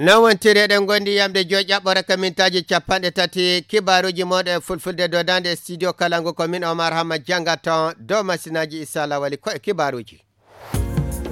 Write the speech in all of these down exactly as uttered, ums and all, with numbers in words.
Noon wontiri eɗen ngondi yamde joy ƴaɓɓore ka mintaaji capanɗe tati kibaaruuji mooɗon e fulfulde dodande e studio Kalangu ko min Omar Hamma janngaton dow masinaaji Issa Lawali ko e kibaaruuji.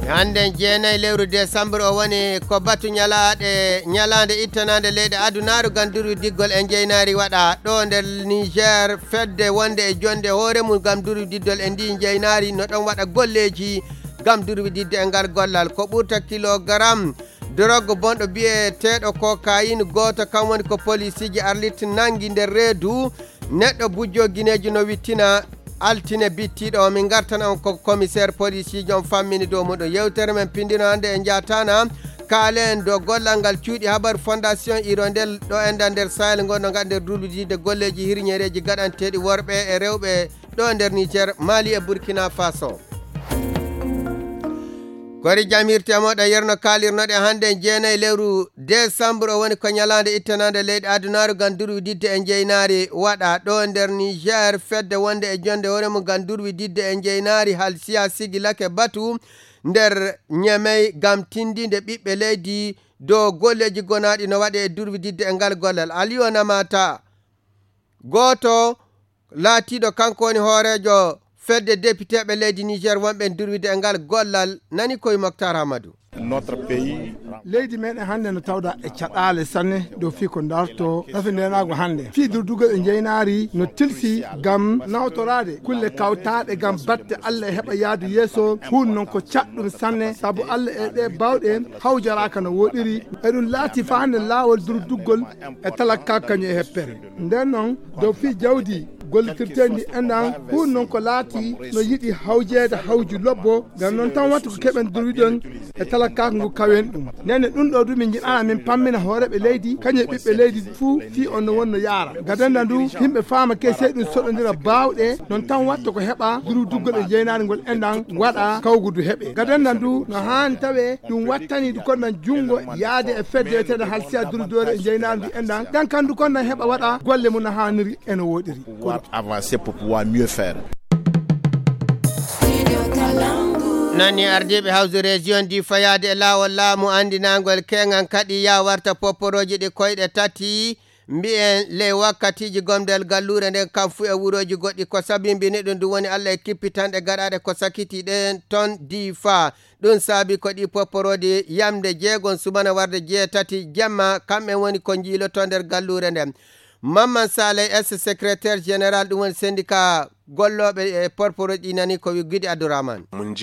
Hannde jeenayi lewru décembre o woni ko batu ñalaaɗe, ñalaande ittanaande leyɗe adunaaru ngam durwi diggol e njeynaari waɗa ɗo nder Niger fedde wonde e jonde hoore mum ngam durwi diddol e ndi njeynaari no ɗon waɗa golleeji ngam durwi didde e ngal gollal. Ko ɓurta kilogaram Dorog bonɗo biyeteeɗo kokayin gooto kam woni ko polisiiji arlit nangi nder reedu neɗɗo bujjo gineeji no wittina altine bittiiɗo o. Min ngartan on ko commissaire polisiiji on fammini dow muɗum. Yewtere men pindino hannde e njaatana kaalen dow gollal ngal cuuɗi habar fondation irondel ɗo enda nder sahel ngon no ngat nder duludide golleeji hirñereeji gaɗanteeɗi worɓe e rewɓe ɗo nder Niger, Mali e Burkina Faso. Kori jam hirti e moɗo yerno kalirnoɗe hannde jeenayi lewru décembre o woni ko ñalaande ittanaande leyɗe adunaaru ngam durwi didde e njeynaari waɗa ɗo nder Niger fedde wonde e jonde hoore mum ngam durwi didde e njeynaari halsiya sigi lake batu nder ñemey ngam tindinde ɓiɓɓe leydi dow golleeji gonaaɗi no waɗe e durwi didde e ngal gollal. Aliyo Namata gooto laatiiɗo kanko woni hooreejo fedde depiteeɓe leydi Niger wonɓe durwide e ngal gollal nani koye Moctar Hamadou. Leydi meɗen hannde no tawda e caɗaale sanne dow fii ko darto rafi ndenaagu hannde. Fii durdugol e njeynaari no tilsi ngam nawtoraade kulle kawtaaɗe ngam batte Allah e heɓa yaadu yeeso. Huun noon ko caɗɗum sanne sabu Allah e ɗe bawɗe hawjaraaka no woɗiri. Eɗum laati faa hannde laawol durduggol e talakka kañum e heppere. Nden noon, dow fii jawdi gollitirteendi enɗan, huun noon ko laati no yiɗi hawjeede hawju lobbo, ngam noon tan wattu ko keɓen durwiɗon e talakkaako ngu kawen ɗum. Nden ne ɗum ɗo ɗum min njiɗana min pammina hooreeɓe leydi, kañum e ɓiɓɓe leydi fuu fii on no wonno yaara. Gadanda ndu, yimɓe faama ke sey ɗum soɗondira baawɗe, noon tan wattu ko heɓa durwduggol e jeynaare ngol enɗan waɗa kawgudu heɓe. Gadanda ndu no haani tawe ɗum wattani ndu konnan junngo yaade e fedde wiyeteende halsiya durdoore e jeynaare ndu enɗan. Ɗan kan ndu konnan heɓa waɗa golle mum no haaniri e no woɗiri. Pouvoir avancer, pour pouvoir mieux faire. Nani ardiiɓe hawse région di fayaade e laawol laamu anndinangol keŋan kaɗi ya warta popporooji ɗi koyɗe tati mbiyen ley wakkatiiji gomdal galluure nden kam fuu e wurooji goɗɗi ko sabimbini ɗum ɗum woni Allah e kippitanɗe gaɗaaɗe ko sakiti ɗen ton difa. Ɗum saabi ko ɗi popporooji yamde jeegon subana warde jeetati jemma kamɓe woni ko njiilotoo nder galluure nden. Mamman Saleh S secrétaire général ɗum woni syndicat gollooɓe e porporoji ɗi nani ko wi Gidi Abdourahmane. Min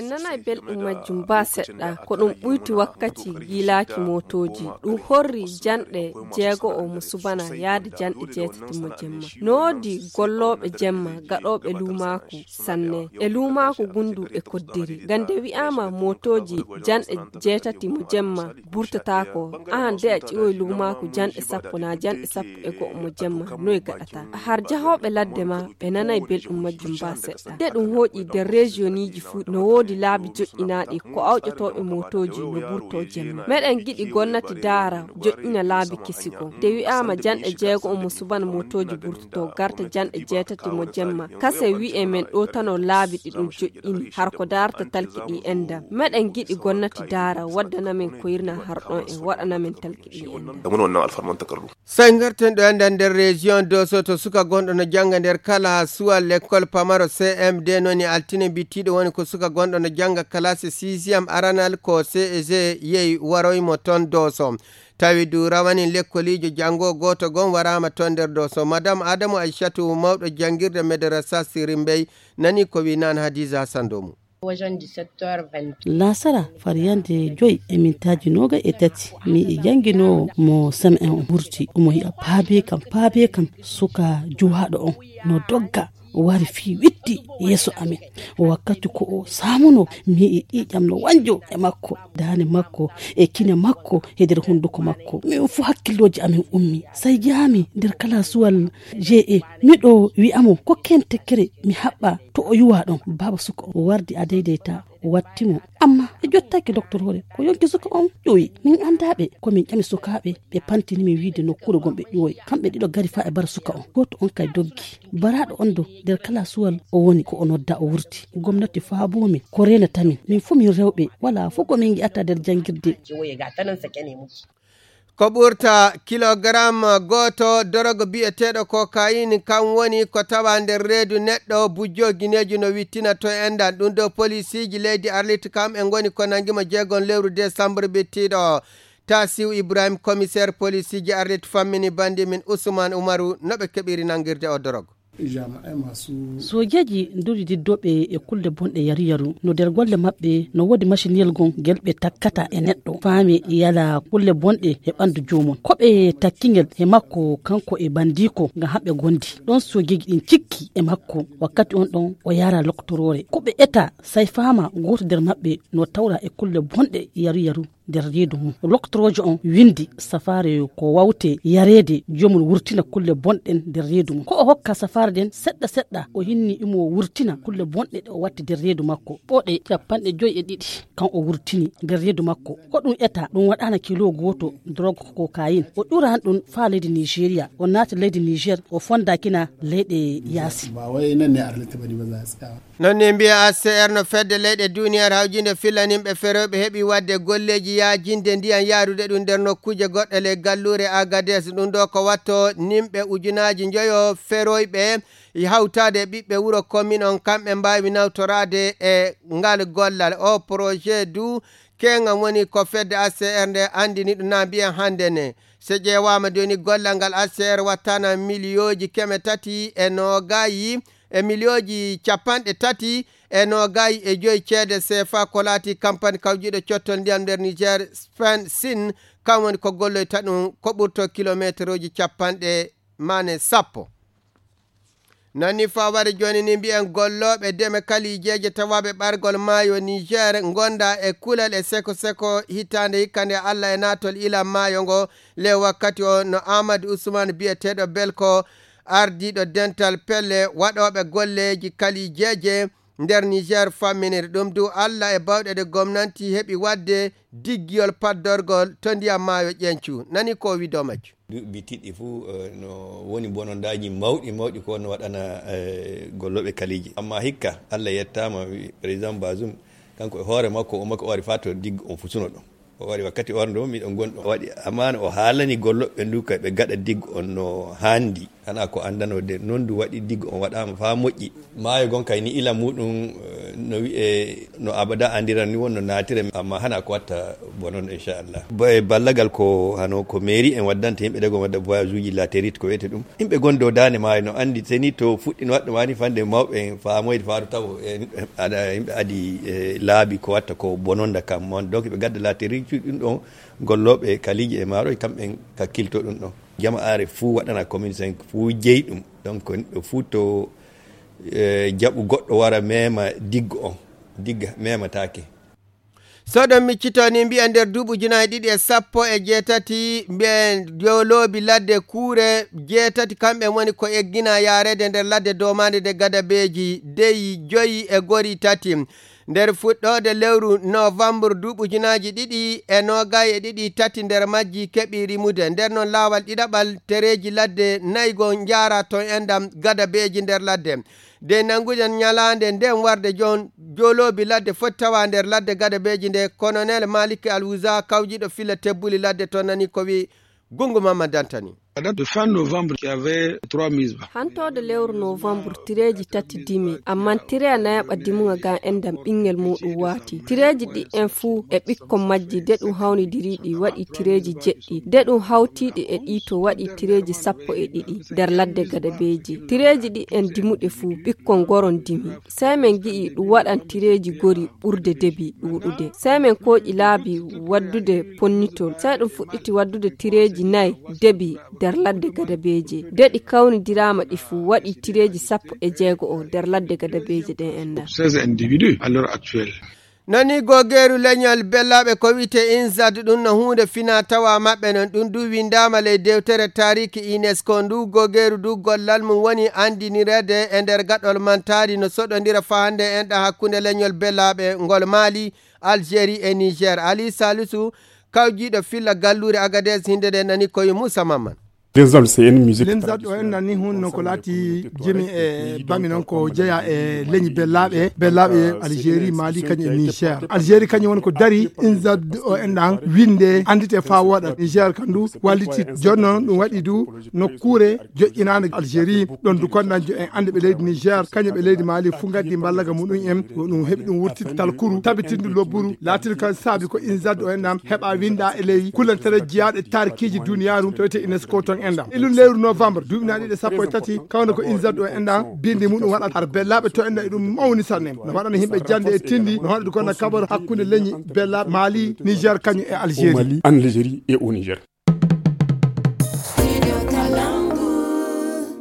nanay belɗum majjum ba seɗɗa. Ko ɗum ɓuyti wakkati giilaaki mootooji. Ɗum horri janɗe jeego o mo subana yaade janɗe jeetati mo jemma. No woodi gollooɓe jemma gaɗooɓe luumaaku sanne e luumaaku gundu e koddiri. Ngam nde wi'aama mootooji janɗe jeetati mo jemma burtataako, aan de a ƴiwoy luumaaku janɗe sappo naa janɗe sappo e go'o mo jemma, noy gaɗata? Har jahooɓe ladde ma ɓe nanay belɗum majjum ba seɗɗa. De ɗum hooƴi nder rejiyoniiji fuu no woodi laabi joƴƴinaaɗi ko awƴotooɓe mootooji no burtoo jemma. Meɗen giɗi gomnati daara joƴƴina laabi kesi goo. Nde wi'aama janɗe jeego mo subana mootooji burtotoo garta janɗe jeetati mo jemma. Kase wi'e men ɗo tano laabi ɗi ɗum joƴƴini. Har ko daarta talki ɗi enɗan. Meɗen giɗi gomnati daara waddana men koyri na har ɗon e waɗana men talki ɗi enɗan. Sai ngarten ɗo enɗan nder région Dosso to suka gonɗo no jannga nder kala suwal lekkol pamaro C M D noni altine bittiiɗo woni ko suka gonɗo no jannga classe sixième aranal ko C E G yehi waroy mo ton Dosso. Tawi du rawanin lekkoliijo janngo gooto gon waraama ton nder Dosso. Madame Adamu Aishatu mawɗo janngirde Madrasa Sirimbey nani ko wi naan Hadiza Sandomu. Laasara fariyande joy e mintaaji noogay e tati mi e jannginoowo mo semaine on ɓurti omo yi'a paabe kam paabe kam suka juwaaɗo on no dogga wari fii witti yeeso amen. Wakkati ko o saamuno mi yi'i ƴiiƴam no wanjo e makko daane makko e kine makko e nder hunduko makko min fuu hakkillooji amen ummi. Sai jaami nder kalaasuwal G E miɗo wi'amo ko ken tekkere mi haɓɓa to o yuwa ɗon. Baaba suka o wardi a deydeyta o watti mo. Amma ɓe jottaaki doktor hoore ko yonki suka on ƴuwi. Min anndaa ɓe ko min ƴami sukaaɓe ɓe pantini min wiide nokkuure gon ɓe ƴuwoy. Kamɓe ɗiɗo ngari faa e bara suka on. Gooto on kay doggi. Baraaɗo on do nder kalaasuwal o woni ko o nodda o wurti. Gomnati faaboo min ko reenata min. Min fuu min rewɓe walaa fuu ko min ngi'ata nder janngirde. Ko ɓurta kilogaram gooto dorogo biyeteeɗo kokain, kam woni ko tawa nder reedu neɗɗo bujjo gineejo no wittina to enɗan. Ɗum ɗo polisiiji leydi Arlit kam e ngoni ko nangi mo jeegon lewru desambur bittiiɗo. Tasiu Ibrahim, komiseer polisiiji Arlit, fammini banndi min Usman Umaru no ɓe keɓiri nangirde o dorogo. Sojeeji nduri diddooɓe e kulle bonɗe yaru yaru. No nder golle maɓɓe no woodi maciniyel gom ngel ɓe takkata e neɗɗo. Faami yala kulle bonɗe e ɓanndu joomum. Ko ɓe takki ngel e makko kanko e banndiiko ngam haɓɓe gondi. Ɗon sojeeji ɗin cikki e makko. Wakkati on ɗon o yara loktoroore. Ko ɓe eta sai faama gooto nder maɓɓe no tawra e kulle bonɗe yaru yaru nder reedu mum. Loktoroojo on windi safaare ko wawte yareede joomum wurtina kulle bonɗen nder reedu mum. Ko o hokka safaare ɗen seɗɗa seɗɗa, o hinni imo wurtina kulle bonɗe ɗe o watti nder reedu makko. Ɓoɗe capanɗe joyi e ɗiɗi kan o wurtini nder reedu makko. Ko ɗum eta ɗum waɗaana kilo gooto drogue cocaïne. O ƴuran ɗum faa leydi Nigeria, o naati leydi Niger, o fondakina leyɗe yaasi. Non ni mbiya A C R no fedde leyɗe duniyaaru hawjinde fillaninɓe feroyɓe heɓi wadde golleeji yaajinde ndiyan yaarude ɗum nder nokkuuje goɗɗe ley galluure Agades. Ɗum ɗo ko watto nimɓe ujunaaji njoyo feroyɓe hawtaade e ɓiɓɓe wuro komin on kamɓe mbaawi nawtoraade e ngal gollal. O projet du keŋŋam woni ko fedde A C R nde anndini ɗum na mbiyen hannde ne. So ƴeewaama jooni gollal ngal A C R wattana miliyooji keme tati e noogayi e miliyooji capanɗe tati e noogayi e joyi ceede seefa ko laati kampani kawjiiɗo cottol ndiyam nder Niger Spen Sin, kam woni ko golloyta ɗum ko ɓurto kilomeeteruuji capanɗe mane sappo. Nani faware jooni ni mbiyen gollooɓe deme kalijeeje tawaaɓe ɓargol maayo Niger ngonda e kulal e seko seko hitaande hikka nde Allah e naatol ilan maayo ngo. Le wakkati o no Ahmad Usman biyeteeɗo Belko, ardiiɗo dental pelle waɗooɓe golleeji kalijeeje nder Niger famminiri ɗum du Allah e bawɗe ɗe gomnanti heɓi waɗde diggiyol paddorgol to ndiyam maayo ƴencu. Nani ko o wi dow majju. Duuɓi bitiɗɗi fuu, eh, no woni bonondaaji mawɗi mawɗi ko no waɗana, eh, gollooɓe kaliiji. Amma hikka, Allah yettaama, wi-, président Bazoum, kanko e hoore makko, o makko o wari faa to diggo on fusuno ɗon. O wari wakkati on ɗo, miɗo gonɗo. O waɗi amaana, o haalani gollooɓe ndu kay ɓe gaɗa diggo on no haandi. Hana ko anndanoo de, non du waɗi diggo on waɗaama faa moƴƴi. Maayo gon kay ni ila muɗum, eh, no wi'e no abada andiran ni wonno naatire, amma hana ko watta bonon, inchallah. Ba-, e ballagal ko hano ko mairie en waddanta yimɓe ɗe gon wadda voyage uji latérite ko wiyete ɗum. Yimɓe gon dow daande maayo no andi seni to fuɗɗino waɗɗo mani fande mawɓe en faamoyde faaru taw en aɗa yimɓe adi, eh, laabi ko watta ko bononda kam mon. Donc ɓe gadda latérite ɗum ɗon gollooɓe kaliiji e maaroy kamɓe en kakkilto ɗum ɗon. Jama'aare fuu waɗana commune cinq fuu jeyi ɗum. Donc neɗɗo fuu to, eh, jaɓu goɗɗo wara mema diggo on, digga memataake. So ɗon miccito ni mbiya nder duuɓi ujunaaji ɗiɗi e sappo e jeetati mbiyen joloobi ladde kuure jeetati kamɓe woni ko eggina yaareede nder ladde domaande nde gadabeeji deyi joyi e gori tati. Nder fuɗɗoode lewru novembre duuɓi ujunaaji ɗiɗi e noogay e ɗiɗi tati nder majji keɓi rimude. Nder noon laawal ɗiɗaɓal tereeji ladde nayi go njaara toon enɗam gadabeeji nder ladde. De nannguɗen ñalaande nden warde jon joloobi ladde foti tawa nder ladde gadabeeji nde Colonel Malik Alwuza kawjiɗo filla tebbuli ladde toon nani ko wi Gungu Mamman Dantani. La date de fin novembre, il y avait trois mises. Hantode lewru novembre tireeji tati dimi, amma tireya nayaɓa dimuga ga endam ɓinngel muɗum waati. Tireeji ɗi en fuu e ɓikkon majji de ɗum hawnidiri ɗi waɗi tireeji jeɗɗi, de ɗum hawtiiɗi e ɗi to waɗi tireeji sappo e ɗiɗi nder ladde gadabeeji. Tireeji ɗi en dimuɗe fuu ɓikkon goron dimi. Sey min ngi'i ɗum waɗan tireeji gori ɓurde debi ɗuuɗude. Sey min kooƴi laabi waddude ponnitol. Sey ɗum fuɗɗiti waddude tireeji nayi debi nder ladde gadabeeje. De ɗi kawnidiraama ɗi fuu waɗi tireeji sappo e jeego o nder ladde gadabeeje ɗen en na. Seize individus à l'heure actuelle. Nani gogeeru leñol bellaaɓe ko wiyte INSAD ɗum no huunde fina tawa maɓɓe non ɗum du windaama ley dewtere taariki UNESCO ndu gogeeru du gollal mum woni anndinireede e nder gaɗol mantaari no soɗondira fahande enɗa hakkunde leñol bellaaɓe ngol Maali, Algérie e Niger. Ali Salisu kawjiiɗo filla galluure Agadez hinde nde nani koye Moussa Mamman. Inzad o enɗan ni hun non ko laati jimi e bami non ko jeya e leñi bellaaɓe bellaaɓe Algérie, Mali kañum e Niger. Algérie kañum woni ko dari Inzad o enɗan winde anndite faa wooɗa. Niger kam du walliti jonno ɗum waɗi du nokkuure joƴƴinaande Algérie. Ɗon du konɗan jo en annde ɓe leydi Niger kañum ɓe leydi Mali fu ngaddi mballaga muɗum en ko ɗum heɓi ɗum wurtittal kuru tabitindu lobburu laatin kan saabi ko Inzad o enɗan heɓa winda e ley kulantere jiyaaɗe taarikiiji duniyaaru to wiyete UNESCO ton enɗan. Ilun lewru novembre duuɓi na ɗiɗi sappo e tati kawna ko Inzad o enɗan bindi muɗum waɗa har bellaaɓe to enɗan e ɗum mawni sanne. No waɗana yimɓe jannde e tindi no haɗa du konɗan kaɓor hakkunde leñi bellaaɓe Mali, Niger kañum e Algérie.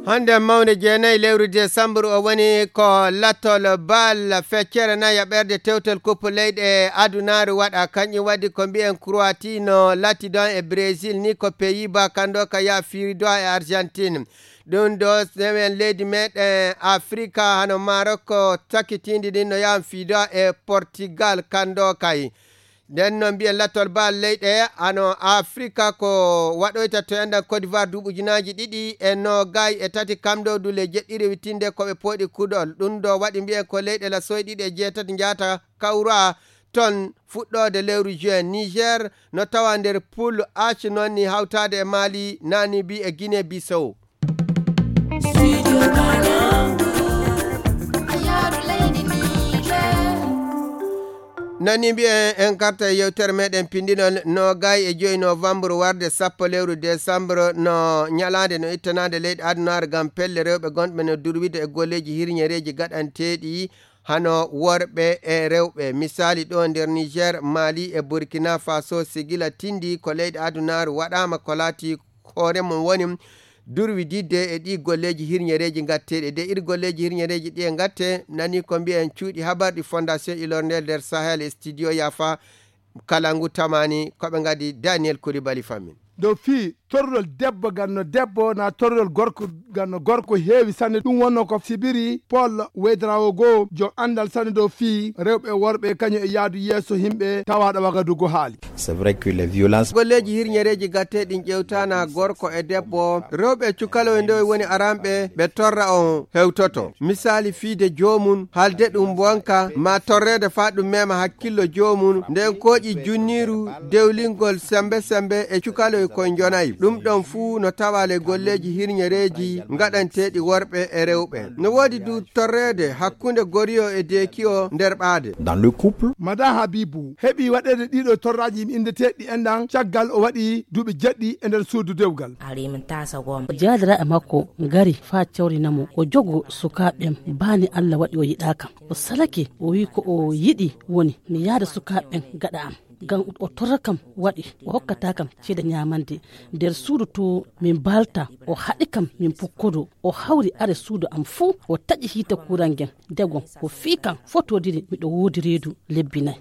Hannde mawne jeenayi lewru desambur o woni ko lattol bal feccere nayi e ɓerde tewtel kuppu leyɗe adunaaru waɗa. Kañum waɗi ko mbiyen Croatie no latti ɗon e Brésil ni ko Pays-Bas kanndo ka yaha fiido e Argentine. Ɗum ɗo sewen leydi meɗen Afrika hano Maroc takitiindi ɗin no yaha fiido e Portugal kanndo kay. Nden noon mbiyen lattol bal leyɗe hano Afrika ko waɗoyta to enɗan Côte d'Ivoire duuɓi ujunaaji ɗiɗi e noogay e tati kam ɗo dule jeɗɗi rewitinde ko ɓe pooɗi kuɗol. Ɗum ɗo waɗi mbiyen ko leyɗe lasoy ɗiɗi e jeetati njaata kawra ton fuɗɗoode lewru juin. Niger no tawa nder poule H noon ni hawtaade e Mali, Namibie e Guinée Bissau. Nani mbiyen en karta e yewtere meɗen pindinol noogay e joyi novembre warde sappo lewru décembre no ñalaande no ittanaande leyɗe adunaaru ngam pelle rewɓe gonɓe no durwide e golleeji hirñereeji gaɗanteeɗi hano worɓe e rewɓe. Misaali ɗo nder Niger, Mali e Burkina Faso sigila tindi ko leyɗe adunaaru waɗaama ko laati hoore mum woni durwi didde e ɗi golleeji hirñereeji ngatteeɗi. De iri golleeji hirñereeji ɗi e ngatte nani ko mbiyen cuuɗi habarɗi Fondation Ilorndel nder Sahel e studio Yafa kala ngu tamani ko ɓe ngadi Daniel Koulibaly fammin. Dow fii torrol debbo ganno debbo na torrol gorko ganno gorko heewi sanne. Ɗum wonno ko sibiri Paul Wedraogo, jo anndal sanne dow fii rewɓe e worɓe kañum e yaadu yeeso yimɓe tawaaɗo Wagadugu haali. C'est vrai que les violences. Golleeji hirñereeji gatte ɗin ƴewtana gorko e debbo, rewɓe e cukaloy nde woni aranɓe ɓe torra on hewtoto. Misaali fiide joomum, halde ɗum bonka, ma torreede faa ɗum mema hakkillo joomum, nden kooƴi junniiru, dewlingol sembe sembe e cukaloy koy njonayi. Ɗum ɗon fuu no tawa le golleeji hirñereeji ngaɗanteeɗi worɓe e rewɓe. No woodi du torreede hakkunde goriyo e deekiyo nder ɓaade. Dans le couple. Mada Habibu heɓi waɗeede ɗiɗo torraaji indeteeɗi enɗan caggal o waɗi duuɓi jeɗɗi e nder suudu dewgal. Jaadira e makko ngari faa cawrina mo. O jogo sukaaɓe am, baani Alla waɗi o yiɗaaka. O salake, o wi'i ko o yiɗi woni mi yaada sukaaɓe ɓen gaɗa am. Ngam o torra kam waɗi, o hokkataa kam ceede ñaamande. Nder suudu to min mbaalta, o haɗi kam min pukkodoo. O hawri are suudu am fuu, o taƴi hiite kuuran ngen. Dewgon, o fii kam fotodiri miɗo woodi reedu lebbi nay.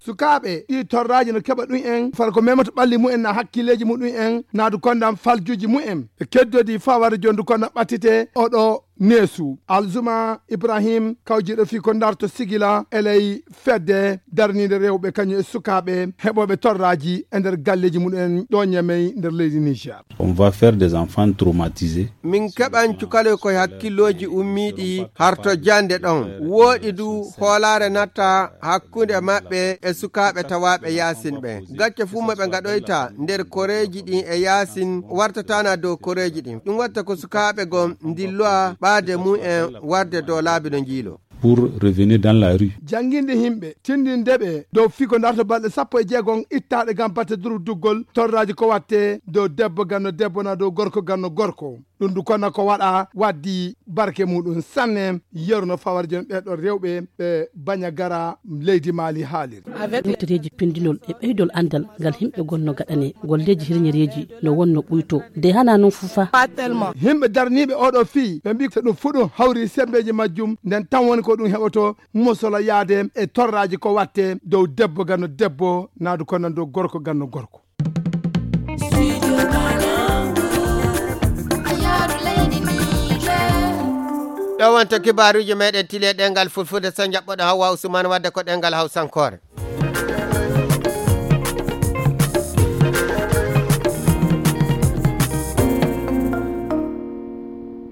Sukaaɓe, ɗii torraaji no keɓa ɗum en, far ko memata ɓalli mumen na hakkileeji muɗum en, naadu konndam faljuuji mumen. Ɓe keddodi faa wara jondu konndam ɓattite oɗo neesu. Alzuma Ibrahim, kawjiiɗo fii ko ndarto sigila e ley fedde darniinde rewɓe kañum e sukaaɓe heɓooɓe torraaji e nder galleeji muɗum en ɗo Ñamey nder leydi Niger. On va faire des enfants traumatisés. Min keɓan cukaloy koye hakkillooji ummiiɗi harto jannde ɗon. Wooɗi du hoolaare natta hakkunde maɓɓe e sukaaɓe tawaaɓe yaasin ɓe. Gacce fuu mo ɓe ngaɗoyta nder koreeji ɗin e yaasin wartatana dow koreeji ɗin. Ɗum watta ko sukaaɓe gon ndilloa ɓaade mum en warde dow laabi no njiilo. Pour revenir dans la rue. Jannginde yimɓe, tindinde ɓe dow fii ko ndarto balɗe sappo e jeegom ittaaɗe ngam batte durduggol torraaji ko watte dow debbo ganno debbo na dow gorko ganno gorko. Ɗum du kono ko waɗa waddi barke muɗum sanne yeru no fawar jon ɓee ɗon rewɓe ɓe Bañagara leydi Mali haaliri. Yewtereeji pindinol e ɓeydol anndal ngal yimɓe gonno gaɗane golleeji hirñereeji no wonno ɓuyto de hana non fufa. Yimɓe darniiɓe oɗo fii ɓe mbi so ɗum fuɗum hawri sembeeji majjum nden tan woni ko ɗum heɓoto mosola yaade e torraaji ko watte dow debbo ganno debbo naadu kono dow gorko ganno gorko. Ɗo wonto kibaaruuji meɗen tile ɗengal fulfulde so jaɓɓoɗo Hawwa Usman wadde ko ɗengal hawsankoore.